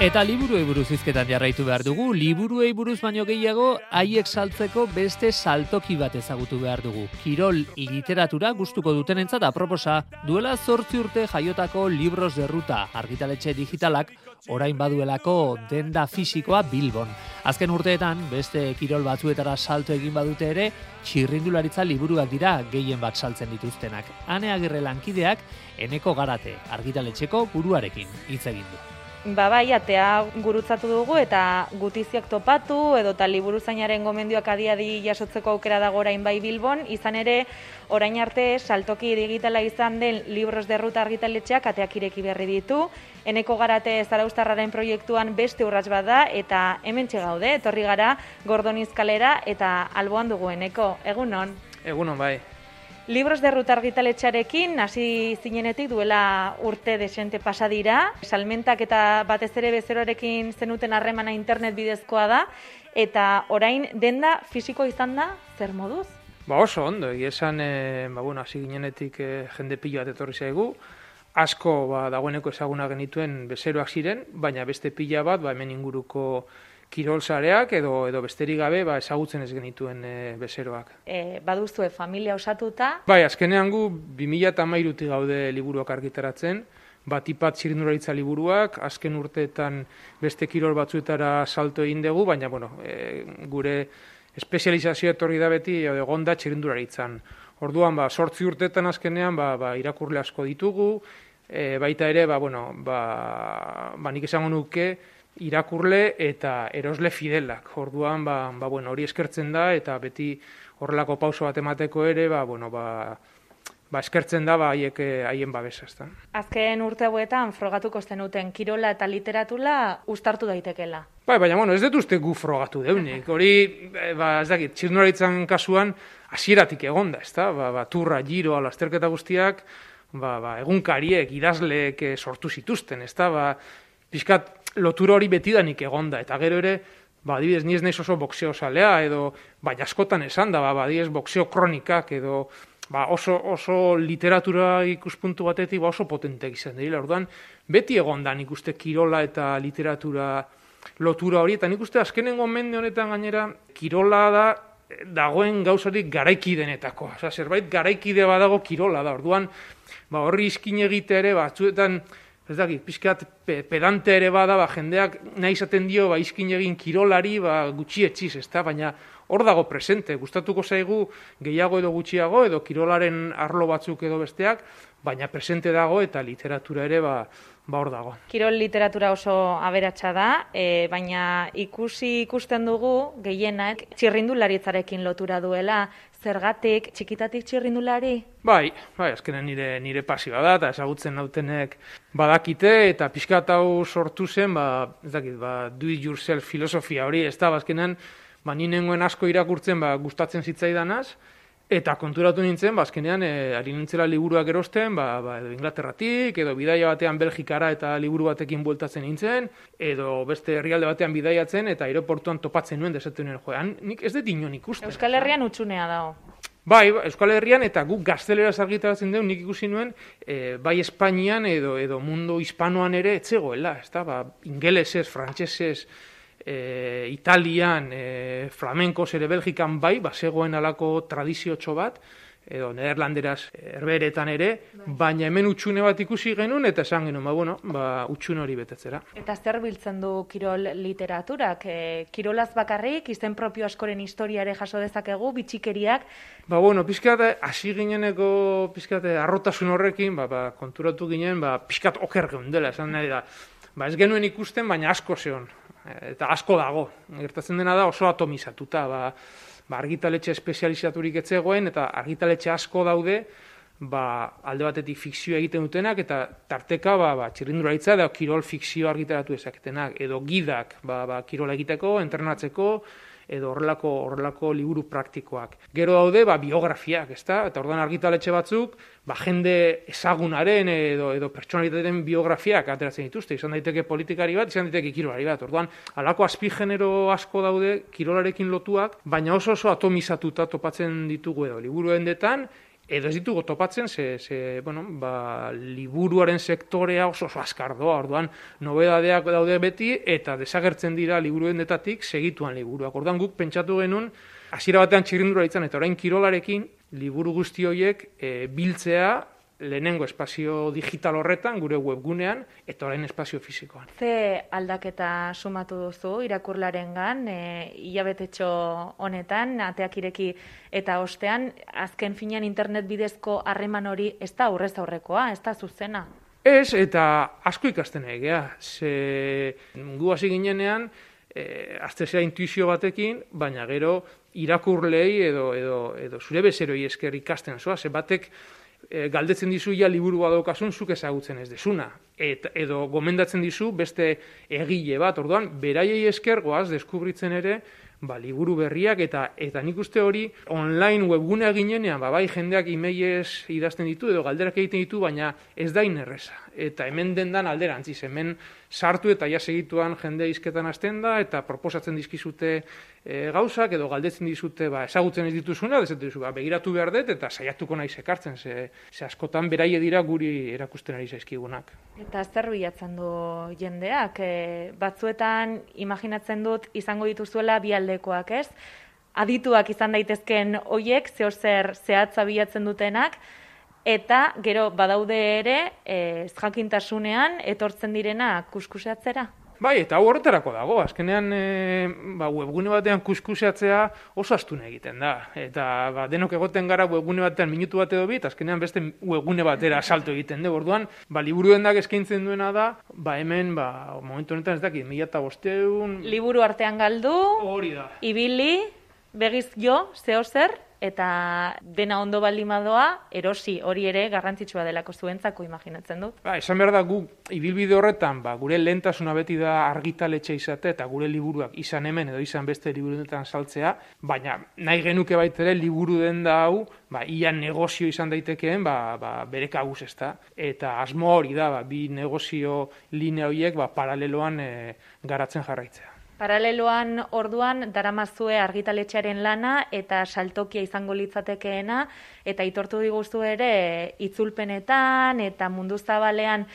Eta liburuei buruz hizketan jarraitu behar dugu, liburuei buruz baino gehiago haiek saltzeko beste saltoki bat ezagutu behar dugu. Kirol literatura gustuko dutenentzat aproposa, duela 8 urte jaiotako Libros de Ruta argitaletxe digitalak orain baduelako denda fisikoa Bilbon. Azken urteetan, beste kirol batzuetara salto egin badute ere, txirrindularitza liburuak dira gehien bat saltzen dituztenak. Ane Agirre lankideak Eneko Garate argitaletxeko buruarekin hitz egin du. Bai, atea gurutzatu dugu eta gutiziak topatu edota liburuzainaren gomendioak adi jasotzeko aukera dago orain bai Bilbon, izan ere orain arte saltoki digitala izan den Libros de Ruta argitaletxeak ateak ireki berri ditu. Eneko Garate zarauztarraren proiektuan beste urrats bat da eta hementxe gaude, etorri gara Gordoniz kalera eta alboan dugu Eneko. Egunon? Egunon, bai. Libros de Ruta argitaletxearekin hasi zinenetik duela urte desente pasa dira. Salmentak eta batez ere bezeroarekin zenuten harremana internet bidezkoa da eta orain denda fisiko izan da zer moduz? Oso ondo, egia esan, hasi ginenetik jende pilo bat etorri zaigu. Asko dagoeneko ezaguna genituen bezeroak ziren, baina beste pila bat hemen inguruko kirolsareak edo besterik gabe ezagutzen ez genituen bezeroak. Baduzue familia osatuta? Bai, azkenean gu 2013 gaude liburuak argitaratzen, batipat txirrindularitza liburuak, azken urteetan beste kirol batzuetara salto egin dugu, baina gure espezializazioa etorri da beti egon da txirrindularitzan. Orduan, 8 urteetan azkenean irakurle asko ditugu, baita ere, nik esango nuke, irakurle eta erosle fidelak. Orduan, hori eskertzen da eta beti horrelako pauso bat emateko ere, eskertzen da haien babesa, ezta. Azken urte hauetan frogatuko zenuten kirola eta literatura uztartu daitekela. Baina, ez dut uste gu frogatu deunik. Hori, ez dakit, txirrindularitzan kasuan hasieratik egonda, ezta? Turra, giro, lasterketa guztiak, egunkariek, idazleek sortu zituzten, ezta? Pixkat lotura hori betidanik egonda, eta gero ere, adibidez, ni ez naiz oso boxeo zalea, edo, askotan esan da, adibidez, boxeo kronikak, edo, oso literatura ikuspuntu batetik oso potenteak izan dira. Orduan, beti egonda nik uste kirola eta literatura lotura hori, eta nik uste azkenengo mende honetan gainera, kirola dagoen gauzarik garaiki denetako. Zerbait garaikide badago kirola da. Orduan, horri iskin egite ere, batzuetan, ez dakit, pixkat pedante ere bada, jendeak nahi izaten dio, iskin egin kirolari, gutxi etxiz, ezta? Baina hor dago presente, gustatuko zaigu gehiago edo gutxiago, edo kirolaren arlo batzuk edo besteak, baina presente dago eta literatura ere hor dago. Kirol literatura oso aberatsa da, baina ikusten dugu gehienak txirrindularitzarekin lotura duela. Zergatik, txikitatik txirrindulari? Bai, azkenen nire pasioa da, eta ezagutzen nautenek badakite, eta pixkat hau sortu zen, do it yourself filosofia hori, ez da, azkenen, ni nengoen asko irakurtzen gustatzen zitzaidanaz, eta konturatu nintzen, azkenean, ari nintzela liburuak erosten, edo Inglaterratik, edo bidaia batean Belgikara eta liburu batekin bueltatzen nintzen, edo beste herrialde batean bidaiatzen, eta aeroportuan topatzen nuen, desaten nuen, nik ez dut inon ikusten. Euskal Herrian utxunea dago. Bai, Euskal Herrian, eta guk gazteleraz argitaratzen dugu, nik ikusi nuen, bai Espainian edo mundu hispanoan ere etzegoela, ez da, ingelesez, frantsesez, Italian, flamenkoz ere Belgikan zegoen alako tradiziotxo bat, edo nederlanderaz herberetan ere, baina hemen utxune bat ikusi genuen, eta esan genuen, utxune hori betetzera. Eta zer biltzen du kirol literaturak? Kirolaz bakarrik, izen propio askoren historiare jaso dezakegu, bitxikeriak? Pixkat, hasi gineneko arrotasun horrekin, konturatu ginen, pixkat oker geundela, esan nahi da. Ez genuen ikusten, baina asko zeon. Eta asko dago, gertatzen dena da oso atomizatuta, argitaletxe espezializaturik etzegoen, eta argitaletxe asko daude, alde batetik fikzioa egiten dutenak, eta tarteka txirrindularitza edo kirol fikzio argitaratu ezaketenak, edo gidak kirola egiteko, entrenatzeko, edo horrelako liburu praktikoak. Gero daude biografiak, ezta? Eta orduan argitaletxe batzuk, jende ezagunaren edo pertsonalitateen biografiak ateratzen dituzte, izan daiteke politikari bat, izan daiteke kirolari bat. Orduan, halako azpigenero asko daude kirolarekin lotuak, baina oso atomizatuta topatzen ditugu edo liburu hendetan, edo ez ditugu topatzen, liburuaren sektorea oso azkar doa, orduan nobedadeak daude beti, eta desagertzen dira liburuendetatik segituan liburuak. Orduan guk pentsatu genuen, hasiera batean txirrindula izan, eta orain kirolarekin, liburu guzti horiek biltzea, lehenengo espazio digital horretan, gure webgunean, eta orain espazio fisikoan. Ze aldaketa sumatu duzu irakurlarengan, hilabetetxo honetan, ateak ireki eta ostean, azken finean internet bidezko harreman hori ez da aurrez aurrekoa, ez da zuzena? Ez, eta asko ikasten egea. Gu hasi ginenean, aztezea intuizio batekin, baina gero irakurlei edo zure bezeroi esker ikasten zoa, ze batek galdetzen dizu ja liburu badaukasun zuk ezagutzen ez desuna. Edo gomendatzen dizu beste egile bat, orduan, beraiei esker goaz deskubritzen ere liburu berriak eta nik uste hori online webgunea ginenean, bai jendeak emailez idazten ditu edo galderak egiten ditu, baina ez da inerreza. Eta hemen dendan alderantziz, hemen sartu eta ja segituan jende hizketan hasten da, eta proposatzen dizkizute gauzak, edo galdetzen dizute ezagutzen ez dituzuna, begiratu behar dut, eta saiatuko naiz ekartzen, ze askotan beraie dira guri erakusten ari zaizkigunak. Eta zer bilatzen du jendeak? Batzuetan, imaginatzen dut, izango dituzuela bi aldekoak, ez? Adituak izan daitezken hoiek, zer zehatza bilatzen dutenak, eta gero badaude ere, jakintasunean etortzen direna kuskuseatzera. Bai, eta hau horretarako dago, azkenean webgune batean kuskuseatzea oso astuna egiten da. Eta denok egoten gara webgune batean minutu bat edo bit, azkenean beste webgune batera salto egiten dugu. Orduan, liburuendak eskaintzen duena da, hemen, momentu honetan ez dakit, 1500... Liburu artean galdu, hori da. Ibili, begiz jo, zer, eta dena ondo baldin badoa, erosi, hori ere garrantzitsua delako zuentzako imaginatzen dut. Esan behar da gu, ibilbide horretan, gure lehentasuna beti da argitaletxe izate, eta gure liburuak izan hemen edo izan beste liburuetan saltzea, baina nahi genuke baitere liburu den da hau, ia negozio izan daitekeen, bere kabuz ez da. Eta asmo hori da, bi negozio linea horiek paraleloan garatzen jarraitzea. Paraleloan orduan daramazue argitaletxearen lana eta saltokia izango litzatekeena, eta aitortu diguzu ere itzulpenetan eta mundu zabalean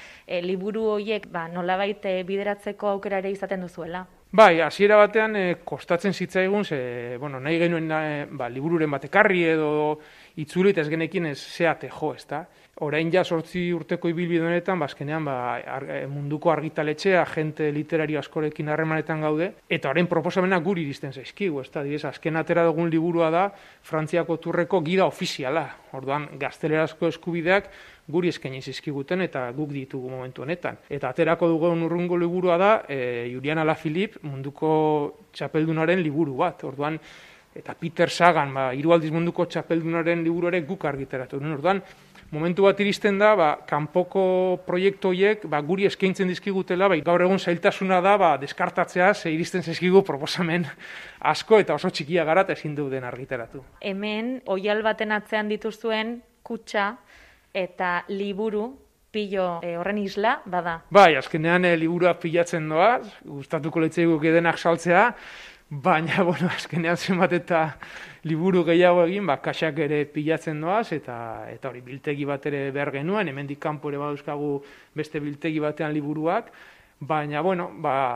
liburu horiek nolabait bideratzeko aukera ere izaten duzuela. Bai, hasiera batean kostatzen zitzaigun, nahi genuen libururen bat ekarri edo itzuli eta ez genekin zeate jo, ezta? Orain ja 8 urteko ibilbide honetan, azkenean munduko argitaletxea, agente literario askorekin harremanetan gaude, eta orain proposamenak guri iristen zaizkigu, ezta? Azken atera dugun liburua da Frantziako turreko gida ofiziala. Orduan, gaztelerazko eskubideak guri eskaini zizkiguten eta guk ditugu momentu honetan. Eta aterako dugun urrungo liburua da Julian Alaphilippe munduko txapeldunaren liburu bat. Orduan, eta Peter Sagan, 3 aldiz munduko txapeldunaren liburu ere guk argitaratu. Orduan, momentu bat iristen da, kanpoko proiektu horiek guri eskaintzen dizkigutela, gaur egun zailtasuna da, deskartatzea, iristen zaizkigu proposamen asko eta oso txikia gara eta ezin duten argitaratu. Hemen, oihal baten atzean dituzuen kutxa eta liburu pilo horren isla bada. Bai, azkenean liburuak pilatzen doaz, gustatuko litzaiguke denak saltzea, baina, azkenean zenbat eta liburu gehiago egin, kaxak ere pilatzen doaz, eta hori biltegi bat ere behar genuen, hemendik kanpo ere badauzkagu beste biltegi batean liburuak, baina,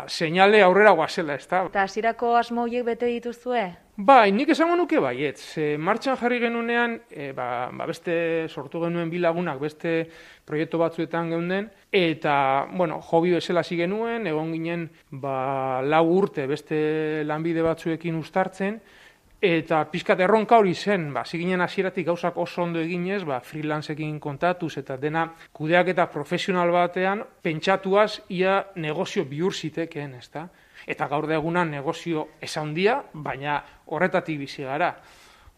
seinale aurrera goazela, ez da. Eta hasierako asmo horiek bete dituzue? Bai, nik esango nuke baietz. Martxan jarri genunean, beste sortu genuen bilagunak, beste proiektu batzuetan geunden, eta, hobi bezala hasi genuen, egon ginen 4 urte beste lanbide batzuekin uztartzen, eta pixkat erronka hori zen, ziginen hasieratik gauzak oso ondo eginez, freelanceekin kontatuz eta dena kudeak eta profesional batean pentsatuaz ia negozio bihur zitekeen, ezta? Eta gaur da egunan negozio ezaundia, baina horretatik bizi gara.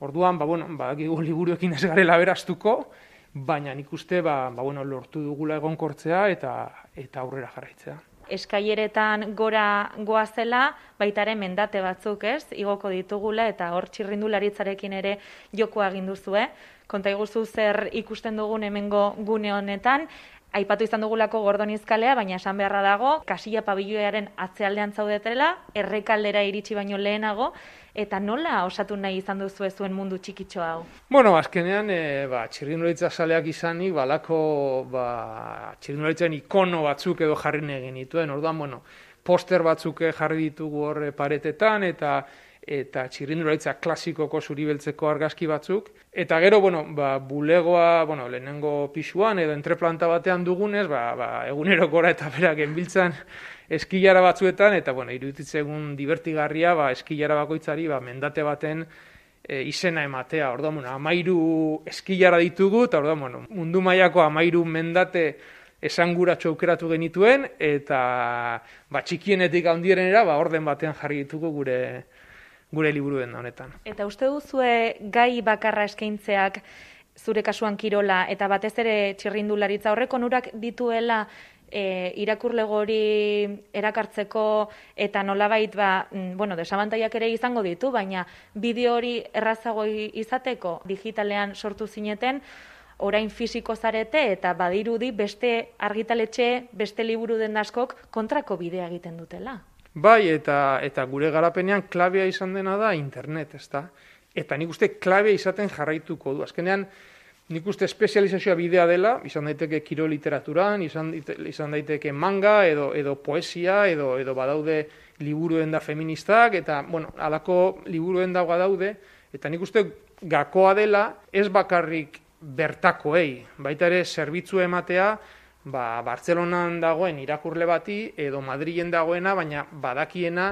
Orduan, badakigu liburuekin ez garela beraztuko, baina nik uste, lortu dugula egonkortzea eta aurrera jarraitzea. Eskaileretan gora goazela, baitaren mendate batzuk, ez? Igoko ditugula eta hor txirrindularitzarekin ere jokoa egin duzue. Konta iguzu zer ikusten dugun hemengo gune honetan, Aipatu izan dugulako Gordonizkalea, baina esan beharra dago, Kasilla pabiloiaren atzealdean zaudetela, Errekaldera iritsi baino lehenago, eta nola osatu nahi izan duzu zuen mundu txikitxo hau? Bueno, azkenean, txirrindularitza zaleak izanik, balako txirrindularitzaren ikono batzuk edo jarri nahi genituen. Orduan, poster batzuk jarri ditugu hor paretetan, eta txirrindularitza klasikoko zuribeltzeko argazki batzuk. Eta gero, bulegoa, lehenengo pisuan edo entreplanta batean dugunez, egunero gora eta bera genbiltzan eskilara batzuetan, eta, iruditzegun divertigarria, eskilara bakoitzari, mendate baten izena ematea. Orduan, 13 eskilara ditugu, eta orduan, mundu mailako 13 mendate esanguratxo aukeratu genituen, eta txikienetik handierenera, orden batean jarri ditugu gure liburuen honetan. Eta uste duzue gai bakarra eskaintzeak zure kasuan kirola eta batez ere txirrindularitza horrek onurak dituela irakurlego hori erakartzeko eta nolabait desabantaiak ere izango ditu, baina bideo hori errazago izateko digitalean sortu zineten, orain fisiko zarete eta badirudi beste argitaletxe, beste liburu den askok kontrako bidea egiten dutela. Bai, eta gure garapenean klabea izan dena da internet, ezta? Eta nik uste klabea izaten jarraituko du. Azkenean, nik uste espezializazioa bidea dela, izan daiteke kirol literaturan, izan daiteke manga, edo poesia, edo badaude liburuen da feministak, eta, halako liburuen da badaude, eta nik uste gakoa dela, ez bakarrik bertakoei, baita ere zerbitzu ematea, Bartzelonan dagoen irakurle bati, edo Madrilen dagoena, baina badakiena,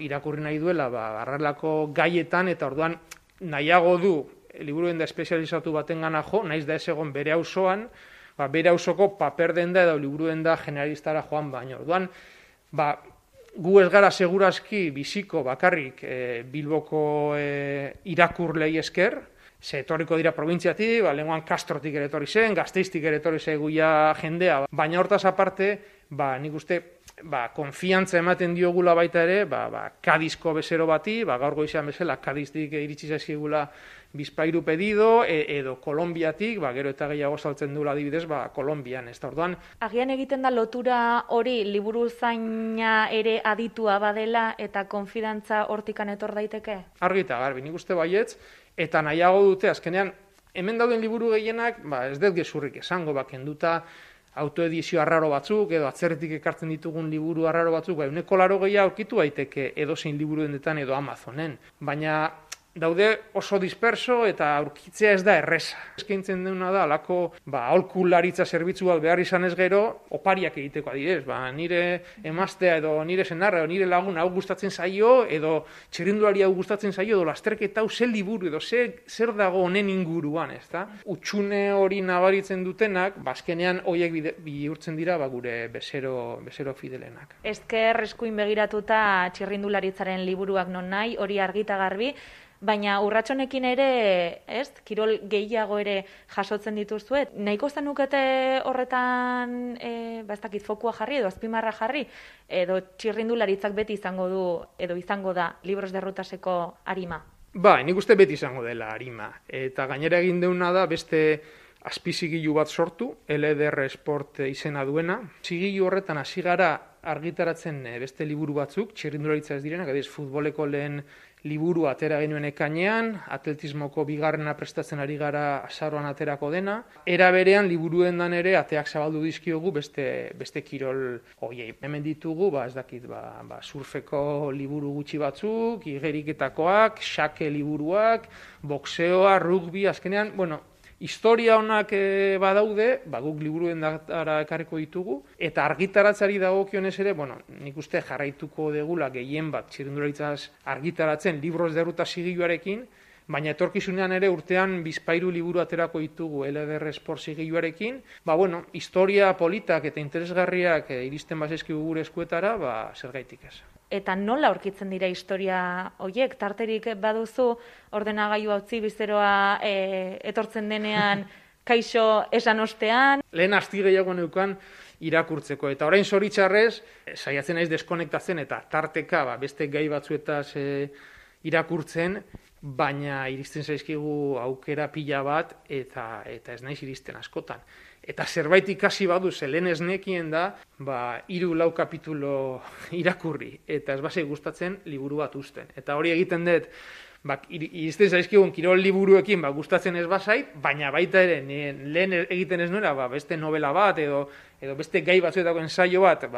irakurri nahi duela, harrelako gaietan, eta orduan nahiago du, liburuen da espezializatu baten gana jo, naiz da ez egon bere auzoan, bere auzoko paper denda edo liburuen da generalistara joan baino. Orduan, gu ez gara segurazki biziko bakarrik Bilboko irakurlei esker, ze etorriko dira probintziatik, lehenguan Kastrotik ere etorri zen, Gasteiztik ere etorri zeguia jendea, baina hortaz aparte, nik uste, konfiantza ematen diogula baita ere, Kadizko bezero bati, gaur goizean bezala, Kadiztik iritsi zaizkigula bizpairu pedido, edo Kolonbiatik, gero eta gehiago saltzen duela adibidez, Kolonbian, ez da orduan. Agian egiten da lotura hori liburu zaina ere aditua badela eta konfidantza hortikan etor daiteke? Argi eta garbi, nik uste baietz, eta nahiago dute, azkenean, hemen dauden liburu gehienak, ez dut gezurrik esango, kenduta autoedizio arraro batzuk, edo atzerretik ekartzen ditugun liburu arraro batzuk, 180 aurkitu daiteke edozein liburuendetan edo Amazonen. Baina daude oso disperso eta aurkitzea ez da erreza. Eskaintzen dena da, alako aholkularitza zerbitzu bat behar izan ez gero, opariak egiteko adibidez. Nire emaztea edo nire senarra edo nire lagun hau gustatzen zaio, edo txirrindulari hau gustatzen zaio, edo lasterketa hau zer liburu edo zer dago honen inguruan, ezta? Utxune hori nabaritzen dutenak, azkenean horiek bihurtzen dira gure bezero fidelenak. Ezker eskuin begiratuta txirrindularitzaren liburuak non nahi, hori argita garbi, baina urratsonekin ere, kirol gehiago ere jasotzen dituzue. Nahiko zenukete horretan, ez dakit fokua jarri edo azpimarra jarri, edo txirrindularitzak beti izango du, edo izango da, Libros de Rutaseko arima? Nik uste beti izango dela arima. Eta gainera egin deuna da beste azpizigilu bat sortu, LDR Sport izena duena. Zigilu horretan hasi gara argitaratzen beste liburu batzuk, txirrindularitza ez direnak, adibidez futboleko lehen liburu atera genuen ekainean, atletismoko bigarrena prestatzen ari gara azaroan aterako dena. Era berean liburuen dan ere ateak zabaldu dizkiogu beste kirol hoiei. Hemen ditugu, ez dakit, surfeko liburu gutxi batzuk, igeriketakoak, xake liburuak, boxeoa, rugby, azkenean, historia honak badaude, guk liburuen dara ekarriko ditugu, eta argitaratzari dagokionez ere, nik uste jarraituko degula gehien bat txirrindularitzaz argitaratzen Libros de Ruta zigiluarekin, baina etorkizunean ere urtean bizpairu liburu aterako ditugu LDR Sport zigiluarekin, historia politak eta interesgarriak iristen bazaizkigu gure eskuetara, zergaitik ez. Eta nola aurkitzen dira historia horiek? Tarterik baduzu ordenagailu utzi bizeroa etortzen denean kaixo esan ostean? Lehen asti gehiago neukan irakurtzeko. Eta orain zoritxarrez, saiatzen naiz deskonektatzen eta tarteka beste gai batzuetaz irakurtzen, baina iristen zaizkigu aukera pila bat eta ez naiz iristen askotan. eta zerbait ikasi badu zelen ez nekien da, 3-4 kapitulo irakurri, eta ez basei gustatzen liburu bat usten. Eta hori egiten dut, izten zaizkigun kirol liburuekin gustatzen ez bazait, baina baita ere lehen egiten ez nuela beste novela bat edo beste gai batzuetako ensaio bat,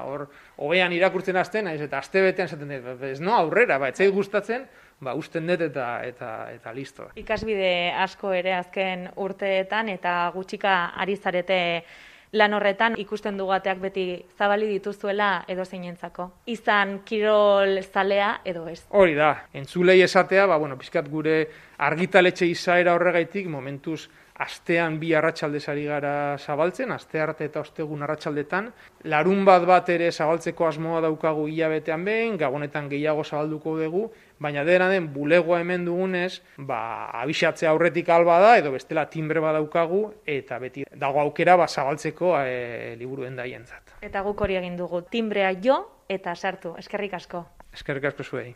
hor hobean irakurtzen hasten naiz eta astebetean esaten dut, ez no aurrera, ez zait gustatzen, usten dut eta listo. Ikasbide asko ere azken urteetan eta gutxika ari zarete lan horretan ikusten dugateak beti zabali dituzuela edo zeinentzako. Izan kirol zalea edo ez. Hori da, entzulei esatea, pizkat gure argitaletxe izaera horregaitik momentuz astean 2 arratsaldez ari gara zabaltzen, astearte eta ostegun arratsaldetan. Larun bat ere zabaltzeko asmoa daukagu hilabetean behin, gabonetan gehiago zabalduko dugu, baina dena den bulegoa hemen dugunez, abisatzea aurretik alba da, edo bestela timbre badaukagu, eta beti dago aukera zabaltzeko liburuen daientzat. Eta guk hori egin dugu, timbrea jo eta sartu. Eskerrik asko. Eskerrik asko zuei.